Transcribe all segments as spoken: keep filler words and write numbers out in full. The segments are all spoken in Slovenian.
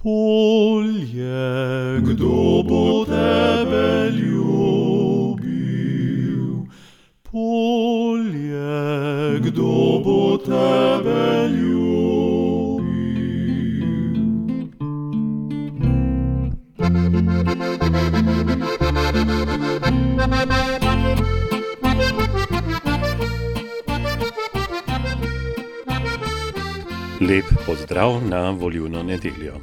Polje, kdo bo tebe ljubil? Polje, kdo bo tebe ljubil? Lep pozdrav na volilno nedeljo.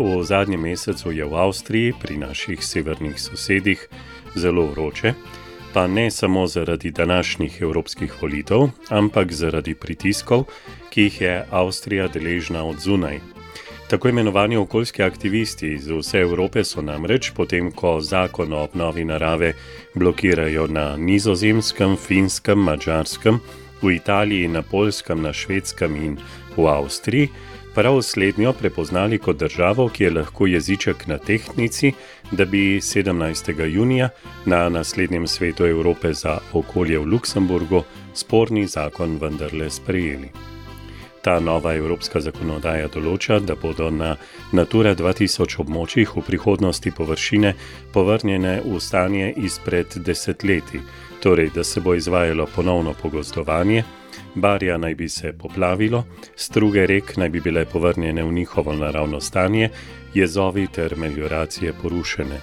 V zadnjem mesecu je v Avstriji, pri naših severnih sosedih, zelo vroče, pa ne samo zaradi današnjih evropskih volitev, ampak zaradi pritiskov, ki jih je Avstrija deležna od zunaj. Tako imenovani okoljski aktivisti iz vse Evrope so namreč, potem ko zakon o obnovi narave blokirajo na Nizozemskem, Finskem, Madžarskem, v Italiji, na Poljskem, na Švedskem in v Avstriji, prav slednjo prepoznali kot državo, ki je lahko jeziček na tehtnici, da bi sedemnajstega junija na naslednjem svetu Evrope za okolje v Luksemburgu sporni zakon vendarle sprejeli. Ta nova evropska zakonodaja določa, da bodo na Natura dva tisoč območjih v prihodnosti površine povrnjene v stanje izpred desetletij, torej da se bo izvajalo ponovno pogozdovanje, barja naj bi se poplavilo, struge rek naj bi bile povrnjene v njihovo naravno stanje, jezovi ter melioracije porušene.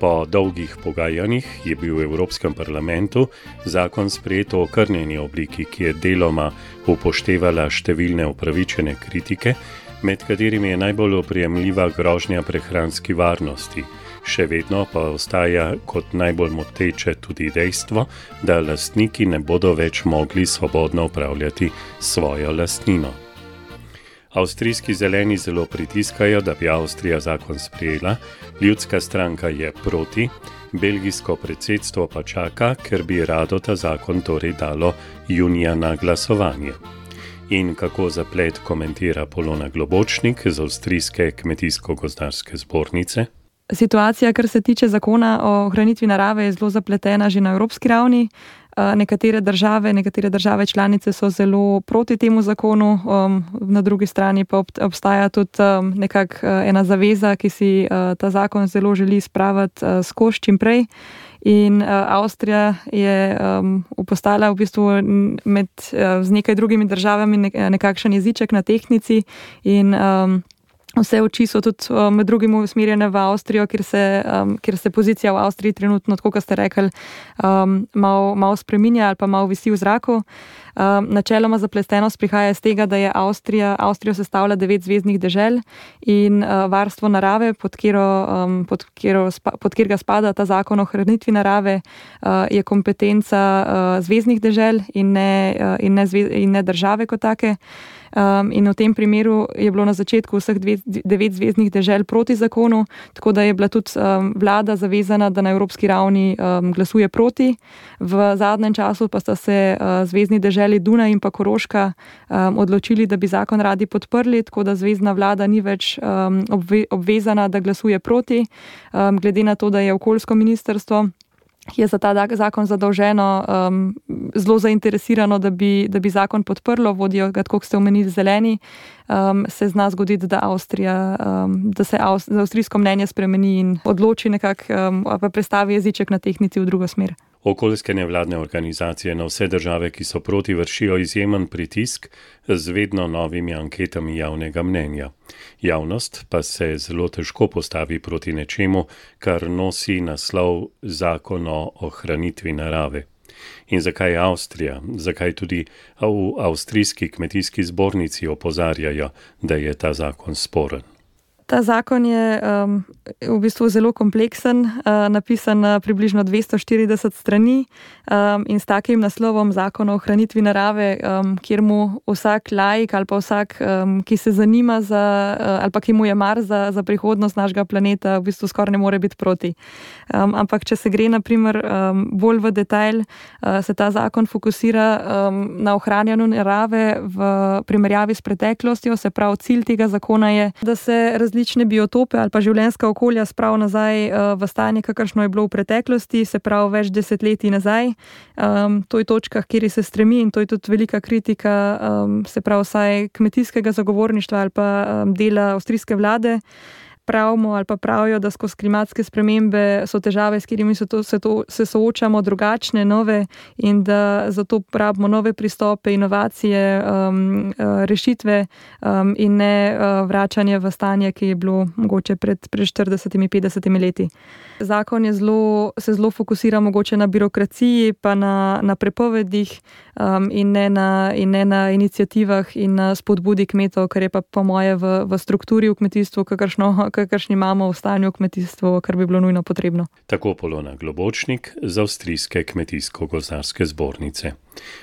Po dolgih pogajanjih je bil v Evropskem parlamentu zakon sprejet v okrnjeni obliki, ki je deloma upoštevala številne upravičene kritike, med katerimi je najbolj oprijemljiva grožnja prehranski varnosti. Še vedno pa ostaja kot najbolj moteče tudi dejstvo, da lastniki ne bodo več mogli svobodno upravljati svojo lastnino. Avstrijski zeleni zelo pritiskajo, da bi Avstrija zakon sprejela, ljudska stranka je proti, belgijsko predsedstvo pa čaka, ker bi rado ta zakon torej dalo junija na glasovanje. In kako zaplet komentira Polona Globočnik z Avstrijske kmetijsko-gozdarske zbornice? Situacija, kar se tiče zakona o ohranitvi narave, je zelo zapletena že na evropski ravni. Nekatere države, nekatere države članice so zelo proti temu zakonu, na drugi strani pa obstaja tudi nekako ena zaveza, ki si ta zakon zelo želi spraviti skozi čim prej. In Avstrija je postala v bistvu med, z nekaj drugimi državami nekakšen jeziček na tehtnici in vse oči so tudi med drugim usmerjene v Avstrijo, kjer se, um, kjer se pozicija v Avstriji trenutno, tako kot ste rekli, um, malo, malo spreminja ali pa malo visi v zraku. Um, načeloma zapletenost prihaja iz tega, da je Avstrija, Avstrijo sestavlja devet zvezdnih dežel in uh, varstvo narave, pod kjero, um, pod, kjero, pod kjer ga spada ta zakon o ohranitvi narave, uh, je kompetenca uh, zvezdnih dežel in ne, uh, in, ne zvez, in ne države kot take. Um, in v tem primeru je bilo na začetku vseh dve, devet zvezdnih dežel proti zakonu, tako da je bila tudi um, vlada zavezana, da na evropski ravni um, glasuje proti. V zadnjem času pa sta se uh, zvezdni deželi Dunaj in pa Koroška um, odločili, da bi zakon radi podprli, tako da zvezdna vlada ni več um, obve, obvezana, da glasuje proti, um, glede na to, da je okoljsko ministrstvo je za ta zakon zadolženo, um, zelo zainteresirano, da bi, da bi zakon podprlo, vodijo ga, tako kot ste omenili, zeleni, um, se zna zgoditi, da, Avstrija, um, da se Avst- da avstrijsko mnenje spremeni in odloči nekako, um, pa prestavi jeziček na tehtnici v drugo smer. Okoljske nevladne organizacije na vse države, ki so proti, vršijo izjemen pritisk z vedno novimi anketami javnega mnenja. Javnost pa se zelo težko postavi proti nečemu, kar nosi naslov zakon o ohranitvi narave. In zakaj Avstrija, zakaj tudi v avstrijski kmetijski zbornici opozarjajo, da je ta zakon sporen? Ta zakon je um, v bistvu zelo kompleksen, uh, napisan na približno dvesto štirideset strani um, in s takim naslovom zakon o ohranitvi narave, um, kjer mu vsak laik ali pa vsak, um, ki se zanima za, uh, ali pa ki mu je mar za, za prihodnost našega planeta, v bistvu skoraj ne more biti proti. Um, ampak če se gre na primer um, bolj v detajl, uh, se ta zakon fokusira um, na ohranjanju narave v primerjavi s preteklostjo, se pravi cilj tega zakona je, da se različno različne biotope ali pa življenjska okolja sprav nazaj v stanje, kakršno je bilo v preteklosti, se pravi več desetletij nazaj. Um, to je točka, kjer se stremi in to je tudi velika kritika, um, se pravi vsaj kmetijskega zagovorništva ali pa um, dela avstrijske vlade. Pravimo ali pa pravijo, da skozi klimatske spremembe so težave, s katerimi se, to, se, to, se soočamo, drugačne, nove in da zato rabimo nove pristope, inovacije, um, rešitve um, in ne uh, vračanje v stanje, ki je bilo mogoče pred, pred štiridesetimi, petdesetimi leti. Zakon je zelo, se zelo fokusira mogoče na birokraciji, pa na, na prepovedih um, in, ne na, in ne na iniciativah in na spodbudi kmetov, kar je pa po moje v, v strukturi v kmetijstvu, kakršno kakršni imamo v stanju v kmetijstvu, kar bi bilo nujno potrebno. Tako Polona Globočnik z Avstrijske kmetijsko-gozdarske zbornice.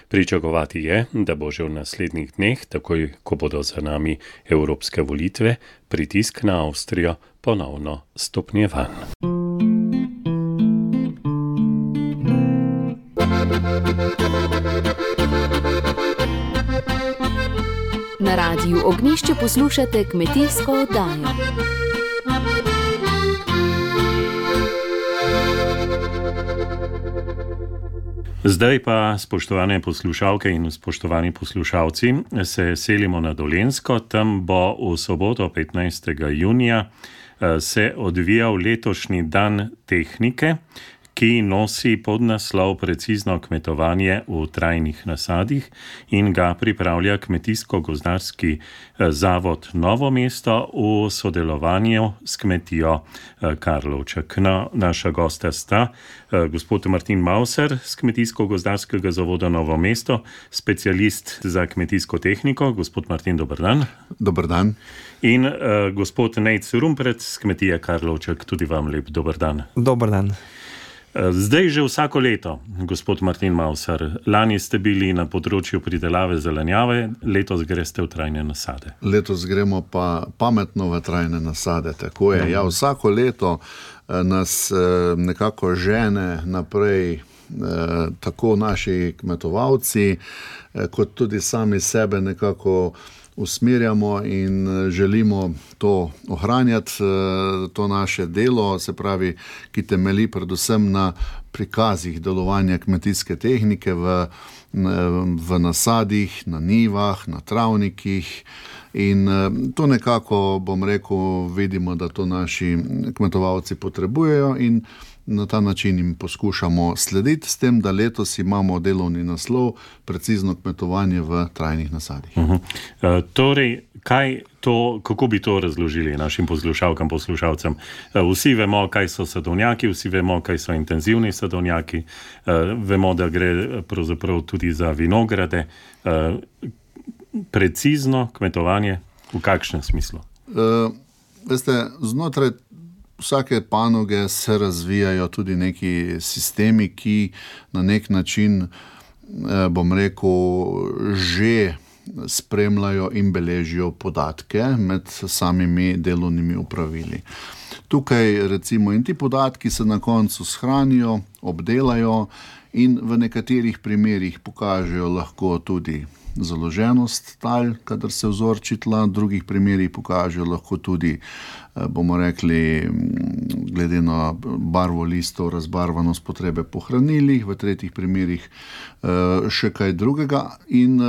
Pričakovati je, da bo že v naslednjih dneh, takoj ko bodo za nami evropske volitve, pritisk na Avstrijo ponovno stopnjevan. Na Radiu Ognjišče poslušate kmetijsko oddajo. Zdaj pa, spoštovane poslušalke in spoštovani poslušalci, se selimo na Dolenjsko. Tam bo v soboto petnajstega junija se odvijal letošnji dan tehnike, ki nosi podnaslov Precizno kmetovanje v trajnih nasadih in ga pripravlja Kmetijsko-gozdarski zavod Novo mesto v sodelovanju s kmetijo Karlovček. No, naša gosta sta gospod Martin Mauser z Kmetijsko-gozdarskega zavoda Novo mesto, specialist za kmetijsko tehniko. Gospod Martin, dober dan. Dober dan. In uh, gospod Nejc Rumpret z kmetije Karlovček, tudi vam lep dober dan. Dober dan. Zdaj že vsako leto, gospod Martin Mauser, lani ste bili na področju pridelave zelenjave, letos greste v trajne nasade. Letos gremo pa pametno v trajne nasade, tako je. Ja, vsako leto nas nekako žene naprej tako naši kmetovalci, kot tudi sami sebe nekako usmerjamo in želimo to ohranjati, to naše delo, se pravi, ki temelji predvsem na prikazih delovanja kmetijske tehnike v, v nasadih, na njivah, na travnikih. In to nekako, bom rekel, vidimo, da to naši kmetovalci potrebujejo in na ta način jim poskušamo slediti, s tem, da letos imamo delovni naslov Precizno kmetovanje v trajnih nasadih. Uh-huh. Uh, torej, kaj to, kako bi to razložili našim poslušalkam, poslušalcem? Uh, vsi vemo, kaj so sadovnjaki, vsi vemo, kaj so intenzivni sadovnjaki, uh, vemo, da gre pravzaprav tudi za vinograde. Uh, precizno kmetovanje, v kakšnem smislu? Uh, veste, znotraj vsake panoge se razvijajo tudi neki sistemi, ki na nek način, bom rekel, že spremljajo in beležijo podatke med samimi delovnimi opravili. Tukaj recimo in ti podatki se na koncu shranijo, obdelajo in v nekaterih primerih pokažejo lahko tudi založenost tal, kadar se vzorči tla, v drugih primerih pokažejo lahko tudi, bomo rekli, glede na barvo listov, razbarvanost potrebe po hranilih, v tretjih primerih še kaj drugega. In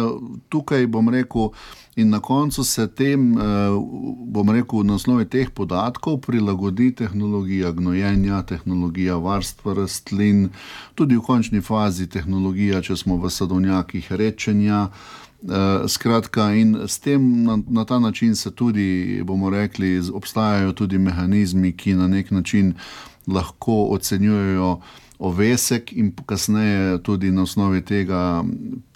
tukaj, bom rekel, in na koncu se tem, bom rekel, na osnovi teh podatkov prilagodi tehnologija gnojenja, tehnologija varstva rastlin, tudi v končni fazi tehnologija, če smo v sadovnjakih, rečenja. Skratka, in s tem na, na ta način se tudi, bomo rekli, obstajajo tudi mehanizmi, ki na nek način lahko ocenjujejo ovesek in kasneje tudi na osnovi tega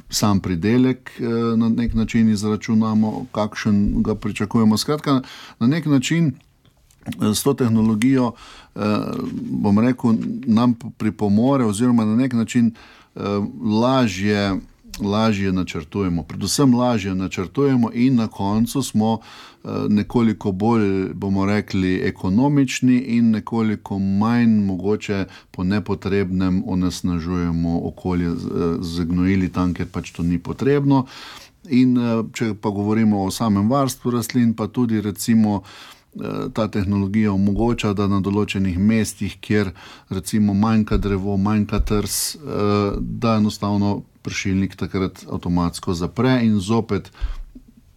sam pridelek na nek način izračunamo, kakšen ga pričakujemo. Skratka, na nek način s to tehnologijo, bom rekel, nam pripomore oziroma na nek način lažje lažje načrtujemo, predvsem lažje načrtujemo in na koncu smo nekoliko bolj, bomo rekli, ekonomični in nekoliko manj mogoče po nepotrebnem onesnažujemo okolje z gnojili tam, ker pač to ni potrebno. In če pa govorimo o samem varstvu rastlin, pa tudi recimo ta tehnologija omogoča, da na določenih mestih, kjer recimo manjka drevo, manjka trs, da enostavno pršilnik takrat avtomatsko zapre in zopet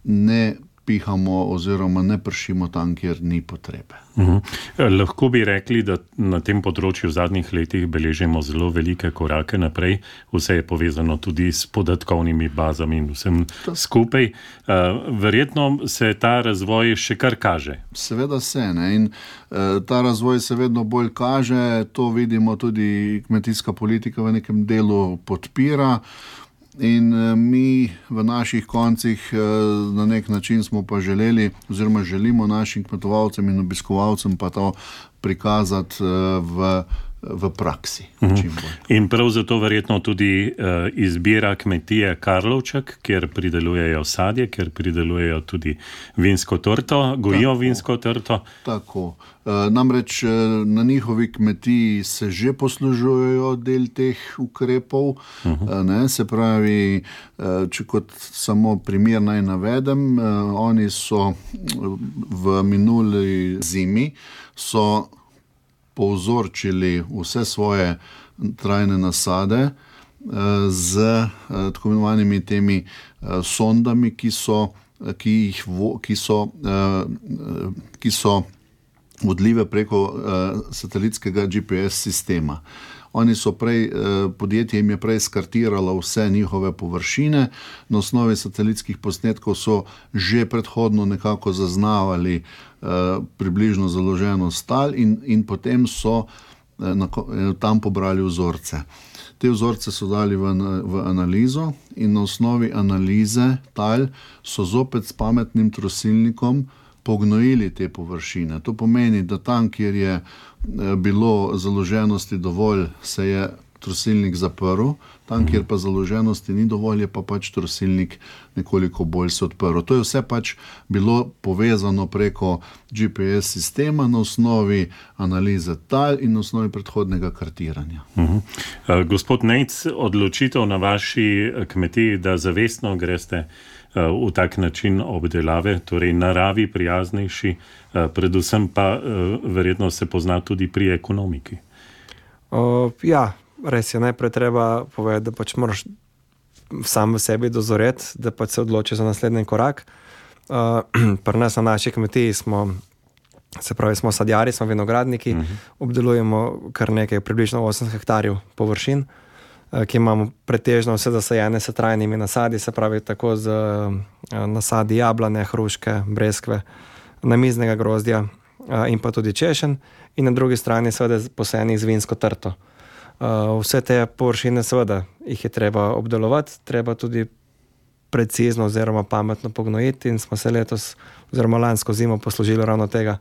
ne pihamo oziroma ne pršimo tam, kjer ni potrebe. Uhum. Lahko bi rekli, da na tem področju v zadnjih letih beležimo zelo velike korake naprej. Vse je povezano tudi s podatkovnimi bazami in vsem skupaj. Verjetno se ta razvoj še kar kaže. Seveda se, ne? In ta razvoj se vedno bolj kaže. To vidimo tudi kmetijska politika v nekem delu podpira. In mi v naših koncih na nek način smo pa želeli oziroma želimo našim kmetovalcem in obiskovalcem pa to prikazati v, v praksi. Uhum. In prav zato verjetno tudi uh, izbira kmetije Karlovček, kjer pridelujejo sadje, kjer pridelujejo tudi vinsko trto, gojijo tako, vinsko trto. Tako. Namreč na njihovi kmetiji se že poslužujejo del teh ukrepov. Uh-huh. Ne, se pravi, če kot samo primer naj navedem, oni so v minuli zimi so povzorčili vse svoje trajne nasade z tako imenovanimi temi sondami, ki so, ki jih, ki so, ki so vodljive preko uh, satelitskega G P S sistema. Oni so prej, uh, podjetje jim je prej skartiralo vse njihove površine, na osnovi satelitskih posnetkov so že predhodno nekako zaznavali uh, približno založenost tal in, in potem so uh, na, tam pobrali vzorce. Te vzorce so dali v, v analizo in na osnovi analize tal so zopet s pametnim trosilnikom pognojili te površine. To pomeni, da tam, kjer je bilo založenosti dovolj, se je trosilnik zaprl, tam, kjer pa založenosti ni dovolj, je pa pač trosilnik nekoliko bolj se odprl. To je vse pač bilo povezano preko G P S sistema na osnovi analize tal in na osnovi predhodnega kartiranja. Uh-huh. Uh, gospod Nejc, odločitev na vaši kmetiji, da zavestno greste v tak način obdelave, torej naravi prijaznejši, predvsem pa verjetno se pozna tudi pri ekonomiki. Uh, ja, res je, najprej treba povedati, da pač moraš sam v sebi dozoreti, da pač se odloči za naslednji korak. Uh, pri nas na naši kmetiji smo, se pravi, smo sadjari, smo vinogradniki, uh-huh. obdelujemo kar nekaj, približno osem hektarjev površin, ki imamo pretežno vse zasajene s trajnimi nasadi, se pravi tako z nasadi jablane, hruške, breskve, namiznega grozdja in pa tudi češen in na drugi strani seveda posajenih z vinsko trto. Vse te površine seveda jih je treba obdelovati, treba tudi precizno oziroma pametno pognojiti in smo se letos oziroma lansko zimo poslužili ravno tega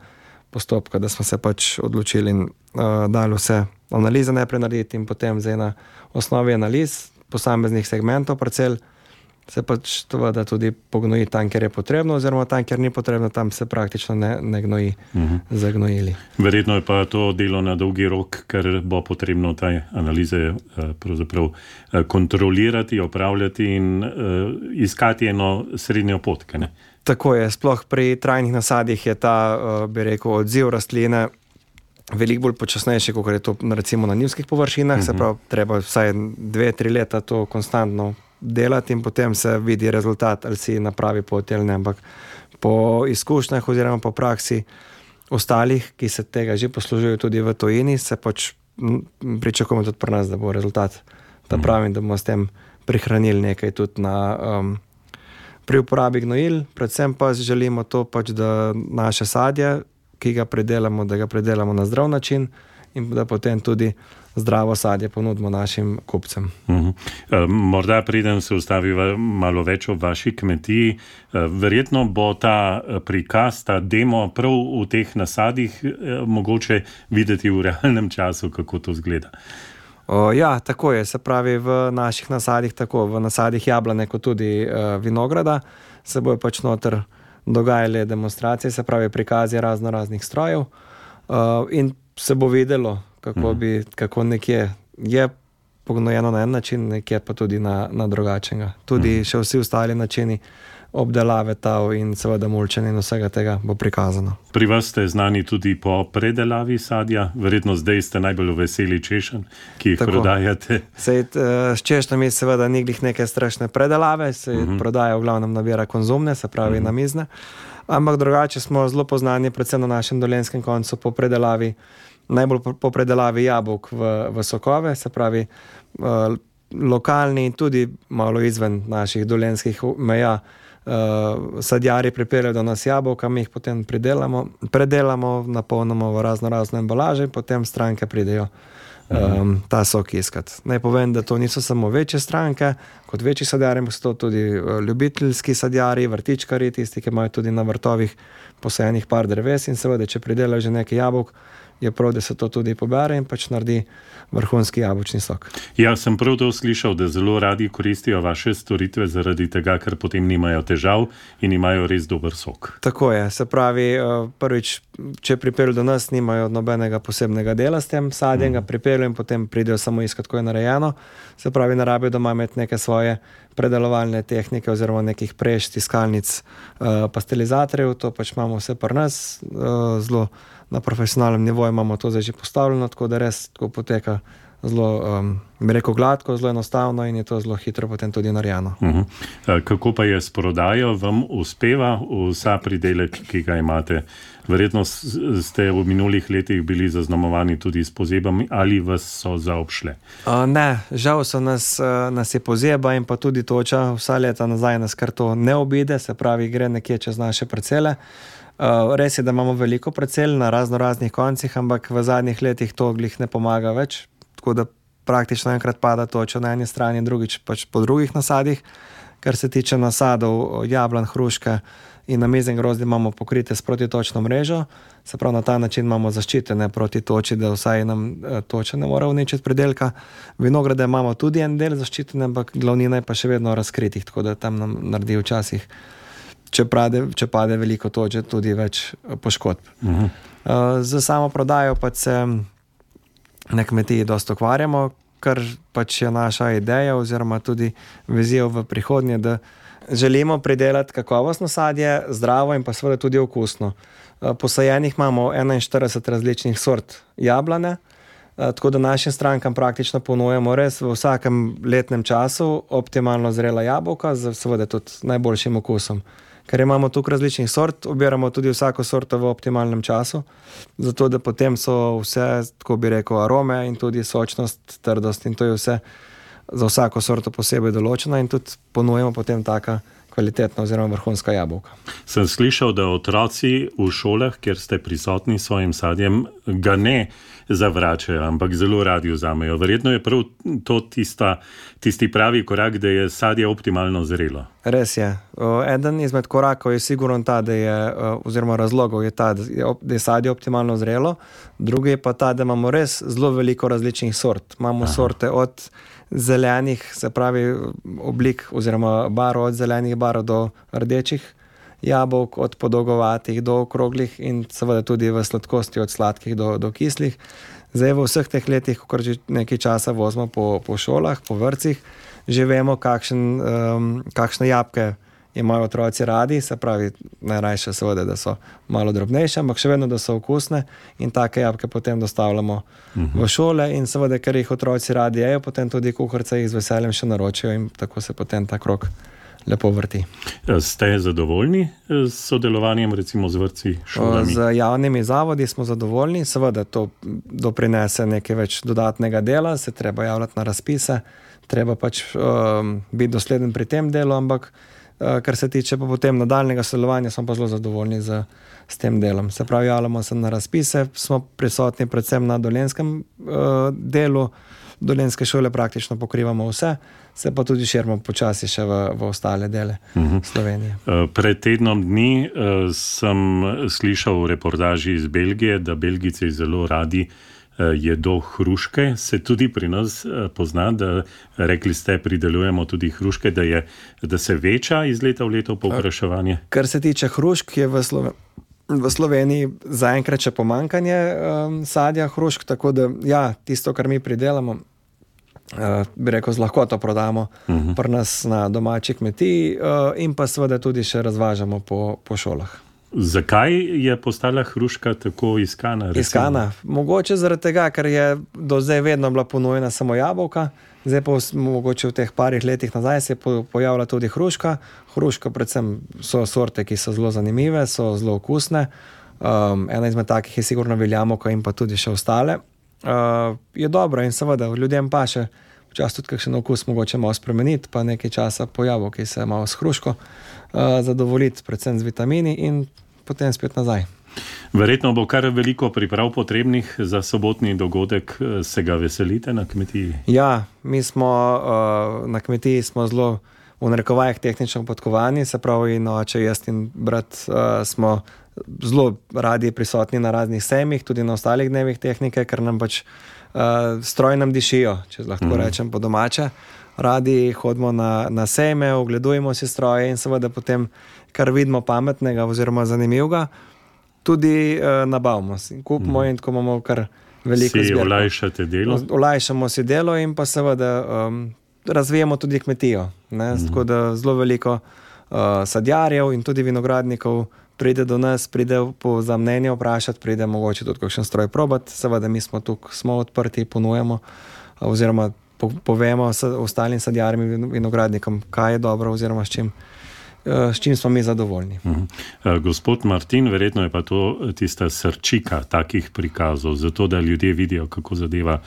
postopka, da smo se pač odločili in uh, dali vse analize najprej narediti in potem zdaj na osnovi analiz posameznih segmentov parcel se pač seveda tudi pognoji tam, kjer je potrebno oziroma tam, kjer ni potrebno, tam se praktično ne, ne gnoji uh-huh. zagnojili. Verjetno je pa to delo na dolgi rok, ker bo potrebno te analize pravzaprav kontrolirati, opravljati in uh, iskati eno srednjo pot, ne? Tako je, sploh pri trajnih nasadih je ta, bi rekel, odziv rastline veliko bolj počasnejši, kot je to recimo na njivskih površinah, uh-huh. se pravi, treba vsaj dve, tri leta to konstantno delati in potem se vidi rezultat, ali si na pravi poti ali ne, ampak po izkušnjah oziroma po praksi ostalih, ki se tega že poslužujejo tudi v tujini, se pač pričakujemo tudi pri nas, da bo rezultat ta pravi, da bomo s tem prihranili nekaj tudi na um, pri uporabi gnojil, predvsem pa želimo to pač, da naše sadje, ki ga predelamo, da ga predelamo na zdrav način in da potem tudi zdravo sadje ponudimo našim kupcem. Uh-huh. Morda preden se ustaviva malo več o vaši kmetiji, verjetno bo ta prikaz, ta demo prav v teh nasadih mogoče videti v realnem času, kako to izgleda. O, ja, tako je, se pravi v naših nasadih, tako v nasadih jablane kot tudi uh, vinograda, se bojo pač noter dogajale demonstracije, se pravi prikazi razno raznih strojev uh, in se bo videlo, kako, bi, kako nekje je pognojeno na en način, nekje pa tudi na, na drugačenega. Tudi še vsi ostali načini obdelave tav in seveda mulčenja in vsega tega bo prikazano. Pri vas ste znani tudi po predelavi sadja, verjetno zdaj ste najbolj veseli češenj, ki jih Tako. prodajate. Sej, s češnjami seveda ni glih neke strašne predelave, se uh-huh. prodaja v glavnem nabira konzumne, se pravi uh-huh. namizne, ampak drugače smo zelo poznani predvsem na našem dolenjskem koncu po predelavi, najbolj po predelavi jabolk v, v sokove, se pravi uh, lokalni in tudi malo izven naših dolenjskih meja. Uh, sadjari pripeljajo do nas jabolka, mi jih potem pridelamo, predelamo, napolnimo v razno razne embalaže in potem stranke pridejo um, ta sok iskat. Naj povem, da to niso samo večje stranke, kot večji sadjari, so to tudi ljubiteljski sadjari, vrtičkari, tisti, ki imajo tudi na vrtovih posajenih par dreves in seveda, če pridelajo že nekaj jabolk, je prav, da se to tudi pobere in pač naredi vrhunski jabolčni sok. Ja, sem prav to slišal, da zelo radi koristijo vaše storitve zaradi tega, ker potem nimajo težav in imajo res dober sok. Tako je, se pravi, prvič, če pripeljo do nas, nimajo nobenega posebnega dela s tem sadjem, ga pripeljo in potem pridejo samo iskat, ko je narejeno. Se pravi, ne rabijo doma imeti neke svoje predelovalne tehnike oziroma nekih preš, tiskalnic, pastelizatorjev, to pač imamo vse pri nas, zelo na profesionalnem nivoju imamo to zdaj že postavljeno, tako da res tako poteka zelo, um, bi rekel, gladko, zelo enostavno in je to zelo hitro potem tudi narejeno. Uh-huh. Kako pa je s prodajo? Vam uspeva vsa pridelek, ki ga imate? Verjetno ste v minulih letih bili zaznamovani tudi s pozebami ali vas so zaobšle? Uh, ne, žal so nas, uh, nas je pozeba in pa tudi toča vsa leta nazaj nas kar to ne obide, se pravi, gre nekje čez naše parcele. Uh, res je, da imamo veliko parcel na razno raznih koncih, ampak v zadnjih letih to glih ne pomaga več, tako da praktično enkrat pada toča na eni strani, drugič pač po drugih nasadih. Kar se tiče nasadov, jablan, hruške in namizen grozdje imamo pokrite s protitočno mrežo, se pravi na ta način imamo zaščitene proti toči, da vsaj nam toča ne mora uničiti pridelka. Vinograde imamo tudi en del zaščitene, ampak glavnina je pa še vedno razkritih, tako da tam nam naredi včasih, če pade, če pade veliko toče, tudi več poškodb. Uh-huh. Z samo prodajo pa se na kmetiji dosti ukvarjamo, kar pač je naša ideja oziroma tudi vizija v prihodnje, da želimo pridelati kakovostno sadje, zdravo in pa seveda tudi okusno. Posajenih imamo enainštirideset različnih sort jablane, tako da našim strankam praktično ponujemo res v vsakem letnem času optimalno zrela jabolka z seveda tudi najboljšim okusom. Ker imamo tukaj različnih sort, obiramo tudi vsako sorto v optimalnem času, zato da potem so vse, tako bi rekel, arome in tudi sočnost, trdost in to je vse za vsako sorto posebej določena in tudi ponujemo potem taka kvalitetna oziroma vrhunska jabolka. Sem slišal, da otroci v šolah, kjer ste prisotni s svojim sadjem, ga ne zavračajo, ampak zelo radi vzamejo. Verjetno je prav to tista, tisti pravi korak, da je sadje optimalno zrelo. Res je. Eden izmed korakov je sigurno ta, da je, oziroma razlogov je ta, da je sadje optimalno zrelo, drugi je pa ta, da imamo res zelo veliko različnih sort. Imamo Aha. sorte od zelenih, se pravi oblik oziroma barv od zelenih barv do rdečih jabolk, od podolgovatih do okroglih in seveda tudi v sladkosti od sladkih do, do kislih. Zdaj v vseh teh letih, ko že nekaj časa vozimo po, po šolah, po vrtcih, že vemo, kakšen, um, kakšne jabolke imajo otroci radi, se pravi najrajše seveda, da so malo drobnejše, ampak še vedno, da so okusne in take jabolke potem dostavljamo uh-huh. v šole in seveda, ker jih otroci radi jejo, potem tudi kuharice jih z veseljem še naročijo in tako se potem ta krog lepo vrti. Ste zadovoljni s sodelovanjem recimo z vrtci, šolami? Z javnimi zavodi smo zadovoljni, seveda to doprinese nekaj več dodatnega dela, se treba javljati na razpise, treba pač um, biti dosleden pri tem delu, ampak uh, kar se tiče pa potem nadaljnega sodelovanja, smo pa zelo zadovoljni z, s tem delom. Se pravi, javljamo se na razpise, smo prisotni predvsem na dolenjskem uh, delu, dolenjske šole praktično pokrivamo vse, se pa tudi širimo počasi še v, v ostale dele uh-huh. Slovenije. Pred tednom dni uh, sem slišal v reportaži iz Belgije, da Belgijci zelo radi uh, jedo hruške. Se tudi pri nas uh, pozna, da rekli ste, pridelujemo tudi hruške, da, je, da se veča iz leta v leto povpraševanje? Kar se tiče hrušk, je v Sloveniji V Sloveniji zaenkrat še pomanjkanje um, sadja hrušk, tako da ja, tisto, kar mi pridelamo, uh, bi rekel, z lahkoto prodamo uh-huh. pri nas na domači kmetiji uh, in pa seveda tudi še razvažamo po, po šolah. Zakaj je postala hruška tako iskana? Recimo? Iskana? Mogoče zaradi tega, ker je do zdaj vedno bila ponujena samo jabolka, zdaj pa mogoče v teh parih letih nazaj se je pojavila tudi hruška. Hruška predvsem so sorte, ki so zelo zanimive, so zelo okusne. Um, ena izmed takih je sigurno veljamovka in pa tudi še ostale. Uh, je dobro in seveda ljudem pa še včasih tudi kakšen okus mogoče malo spremeniti, pa nekaj časa po jabolki se malo s hruško uh, zadovoljiti, predvsem z vitamini in potem spet nazaj. Verjetno bo kar veliko priprav potrebnih za sobotni dogodek. Se ga veselite na kmetiji? Ja, mi smo uh, na kmetiji smo zelo v narekovajih tehnično podkovani, se pravi in oče, jaz in brat uh, smo zelo radi prisotni na raznih sejmih, tudi na ostalih dnevih tehnike, ker nam pač uh, stroji nam dišijo, če lahko mm. rečem po domače. Radi hodimo na, na sejme, ogledujemo si stroje in seveda potem, kar vidimo pametnega oziroma zanimivega, tudi uh, nabavimo si, kupimo mm. in tako imamo kar veliko zbirko. Si olajšate delo? Olajšamo si delo in pa seveda um, razvijamo tudi kmetijo. Ne? Mm. Tako da zelo veliko uh, sadjarjev in tudi vinogradnikov pride do nas, pride po, za mnenje vprašati, pride mogoče tudi kakšen stroj probati. Seveda mi smo tukaj, smo odprti, ponujemo oziroma po, povemo ostalim sadjarjem in vinogradnikom, kaj je dobro oziroma s čim, s čim smo mi zadovoljni. Uh-huh. Gospod Martin, verjetno je pa to tista srčika takih prikazov, zato da ljudje vidijo, kako zadeva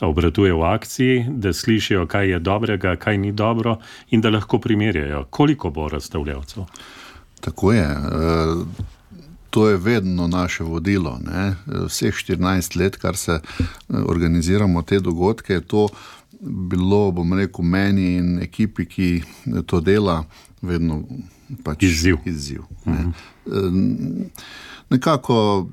obratuje v akciji, da slišijo, kaj je dobrega, kaj ni dobro in da lahko primerjajo. Koliko bo razstavljavcev? Tako je. To je vedno naše vodilo. Ne? Vseh štirinajst let, kar se organiziramo te dogodke, je to bilo, bom rekel, meni in ekipi, ki to dela, vedno pač izziv. izziv ne? Uh-huh. Nekako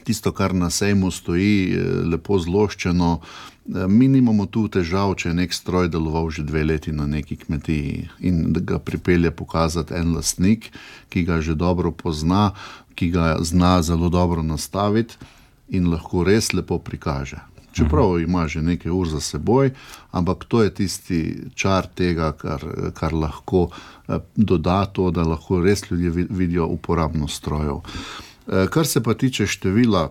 tisto, kar na sejmu stoji, lepo zloščeno, mi nimamo tu težav, če je nek stroj deloval že dve leti na neki kmetiji in da ga pripelje pokazati en lastnik, ki ga že dobro pozna, ki ga zna zelo dobro nastaviti in lahko res lepo prikaže. Čeprav ima že nekaj ur za seboj, ampak to je tisti čar tega, kar, kar lahko doda to, da lahko res ljudje vidijo uporabnost strojev. Kar se pa tiče števila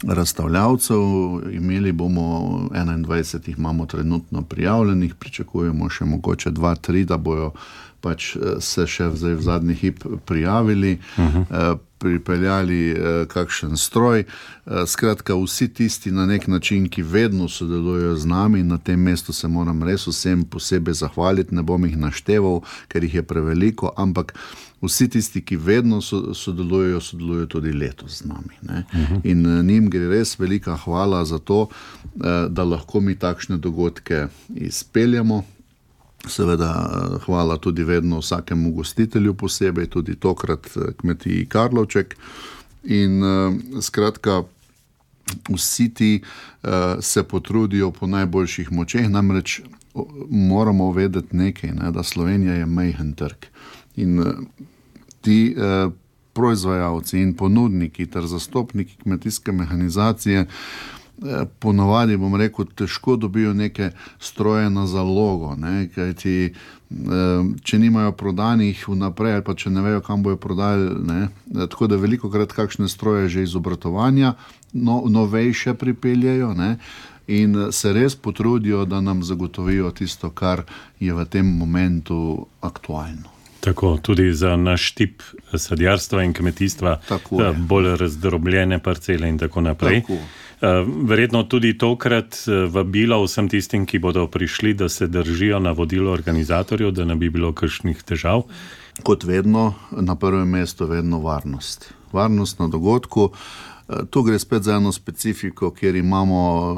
razstavljavcev, imeli bomo enaindvajset jih imamo trenutno prijavljenih, pričakujemo še mogoče dva, tri, da bojo pač se še v zadnji hip prijavili, uh-huh. pripeljali kakšen stroj. Skratka, vsi tisti na nek način, ki vedno sodelujejo z nami, na tem mestu se moram res vsem posebej zahvaliti, ne bom jih našteval, ker jih je preveliko, ampak vsi tisti, ki vedno sodelujejo, sodelujejo tudi letos z nami. Ne? Uh-huh. In njim gre res velika hvala za to, da lahko mi takšne dogodke izpeljamo. Seveda hvala tudi vedno vsakemu gostitelju posebej, tudi tokrat kmetiji Karlovček. In skratka, vsi ti se potrudijo po najboljših močeh, namreč moramo vedeti nekaj, ne, da Slovenija je majhen trg. In ti eh, proizvajalci in ponudniki ter zastopniki kmetijske mehanizacije eh, ponovadi, bom rekel, težko dobijo neke stroje na zalogo, ne, kajti eh, če nimajo prodanih vnaprej ali pa če ne vejo, kam bojo prodali, ne, tako da velikokrat kakšne stroje že iz obratovanja no, novejše pripeljajo, ne, in se res potrudijo, da nam zagotovijo tisto, kar je v tem momentu aktualno. Tako, tudi za naš tip sadjarstva in kmetijstva, bolj razdrobljene parcele in tako naprej. Tako. Verjetno tudi tokrat vabilo vsem tistim, ki bodo prišli, da se držijo navodilo organizatorjev, da ne bi bilo kakšnih težav. Kot vedno, na prvem mestu vedno varnost. Varnost na dogodku. Tu gre spet za eno specifiko, kjer imamo,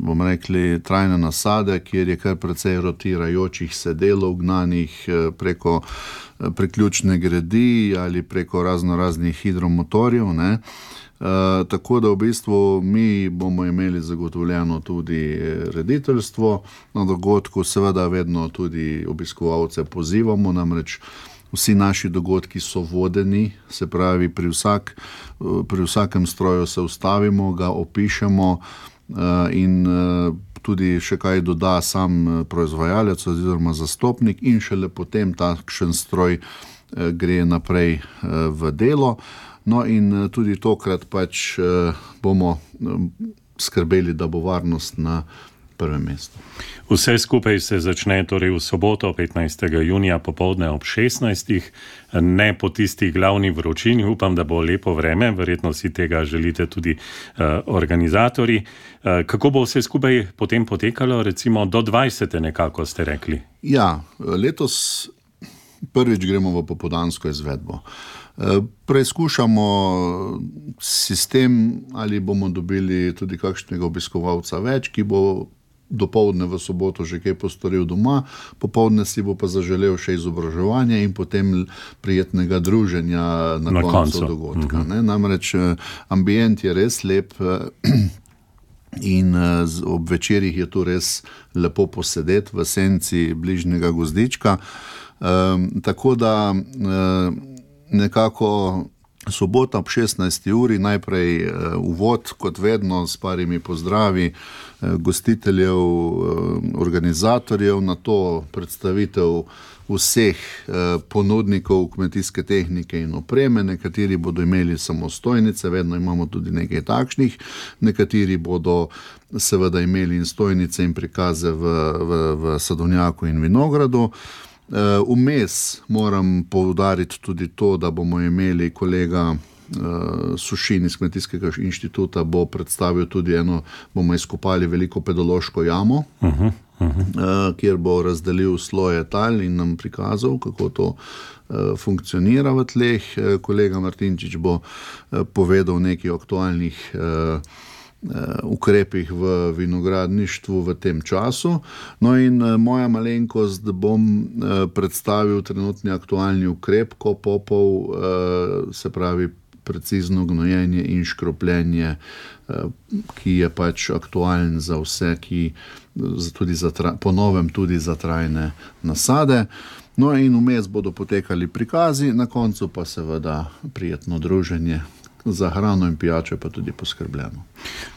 bom rekli, trajne nasade, kjer je kar precej rotirajočih se delov gnanih preko priključne gredi ali preko razno raznih hidromotorjev, ne. E, tako da v bistvu mi bomo imeli zagotovljeno tudi rediteljstvo na dogodku, seveda vedno tudi obiskovalce pozivamo, namreč vsi naši dogodki so vodeni, se pravi pri, vsak, pri vsakem stroju se ustavimo, ga opišemo in tudi še kaj doda sam proizvajalec oziroma zastopnik in šele potem takšen stroj gre naprej v delo. No in tudi tokrat pač bomo skrbeli, da bo varnost na prvem mestu. Vse skupaj se začne torej v soboto, petnajstega junija popoldne ob šestnajstih, ne po tistih glavni vročini, upam, da bo lepo vreme, verjetno si tega želite tudi uh, organizatorji. Uh, kako bo vse skupaj potem potekalo, recimo do dvajsete nekako ste rekli? Ja, letos prvič gremo v popoldansko izvedbo. Preizkušamo sistem, ali bomo dobili tudi kakšnega obiskovalca več, ki bo dopoldne v soboto že kaj postoril doma, popoldne si bo pa zaželel še izobraževanje in potem prijetnega druženja na, na koncu, koncu dogodka. Uh-huh. Ne? Namreč ambient je res lep in ob večerih je tu res lepo posedeti v senci bližnjega gozdička. Um, tako da um, nekako sobota ob šestnajsti uri, najprej uh, uvod, kot vedno, s parimi pozdravi uh, gostiteljev, uh, organizatorjev, na to predstavitev vseh uh, ponudnikov kmetijske tehnike in opreme. Nekateri bodo imeli samostojnice, vedno imamo tudi nekaj takšnih, nekateri bodo seveda imeli in stojnice in prikaze v, v, v sadovnjaku in vinogradu. Vmes moram poudariti tudi to, da bomo imeli kolega Sušin iz Kmetijskega inštituta, bo predstavil tudi eno, bomo izkopali veliko pedološko jamo, uh-huh, uh-huh. kjer bo razdelil sloje tal in nam prikazal, kako to funkcionira v tleh. Kolega Martinčič bo povedal nekaj o aktualnih ukrepih v vinogradništvu v tem času. No in moja malenkost, bom predstavil trenutni aktualni ukrep kopopov, se pravi precizno gnojenje in škropljenje, ki je pač aktualen za vse, ki tudi za, po novem tudi za trajne nasade. No in vmes bodo potekali prikazi, na koncu pa seveda prijetno druženje. Za hrano in pijačo pa tudi poskrbljeno.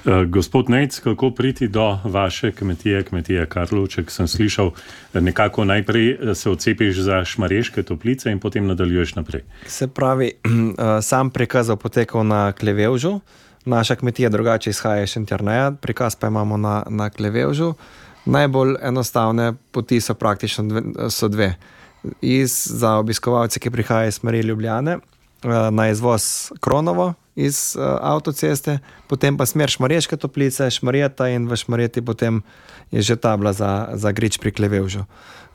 Uh, gospod Nejc, kako priti do vaše kmetije, kmetije Karlovček? Sem slišal, nekako najprej se odcepiš za Šmarješke Toplice in potem nadaljuješ naprej. Se pravi, sam prikaz bo potekal na Klevevžu, naša kmetija drugače izhaja iz Šentjerneja, prikaz pa imamo na, na Klevevžu. Najbolj enostavne poti so praktično dve, so dve. Iz, za obiskovalce, ki prihajajo iz smeri Ljubljane, na izvoz Kronovo iz uh, avtoceste, potem pa smer Šmarješke Toplice, Šmarjeta in v Šmarjeti potem je že tabla za, za Grič pri Klevevžu.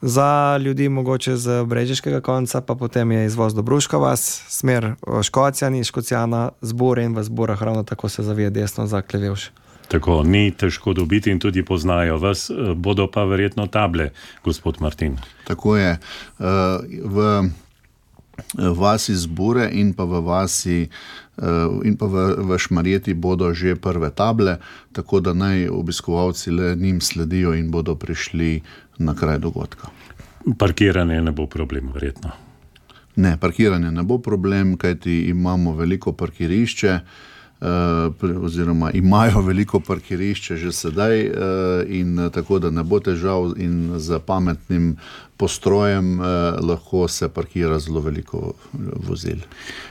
Za ljudi mogoče z brežiškega konca pa potem je izvoz Dobruška vas, smer Škocjan in Škocijana, Zbore in v Zborah ravno tako se zavije desno za Klevevž. Tako, ni težko dobiti in tudi poznajo vas, bodo pa verjetno table, gospod Martin. Tako je. Uh, v vasi Zbure in pa v vasi in pa v, v Šmarjeti bodo že prve table, tako da naj obiskovalci le njim sledijo in bodo prišli na kraj dogodka. Parkiranje ne bo problem, verjetno? Ne, parkiranje ne bo problem, kajti imamo veliko parkirišče, oziroma imajo veliko parkirišče že sedaj in tako, da ne bo težav in za pametnim postrojem lahko se parkira zelo veliko vozil.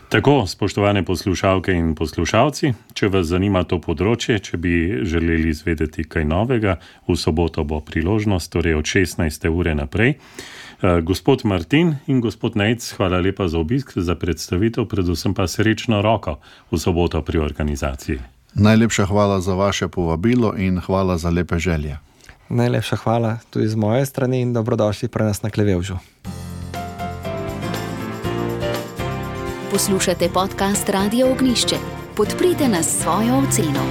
Tako, spoštovane poslušalke in poslušalci, če vas zanima to področje, če bi želeli izvedeti kaj novega, v soboto bo priložnost, torej od šestnajste ure naprej. Uh, gospod Martin in gospod Nejc, hvala lepa za obisk, za predstavitev, predvsem pa srečno roko v soboto pri organizaciji. Najlepša hvala za vaše povabilo in hvala za lepe želje. Najlepša hvala tudi z moje strani in dobrodošli pri nas na Klevevžu. Poslušate podcast Radio Ognjišče. Podprite nas s svojo oceno.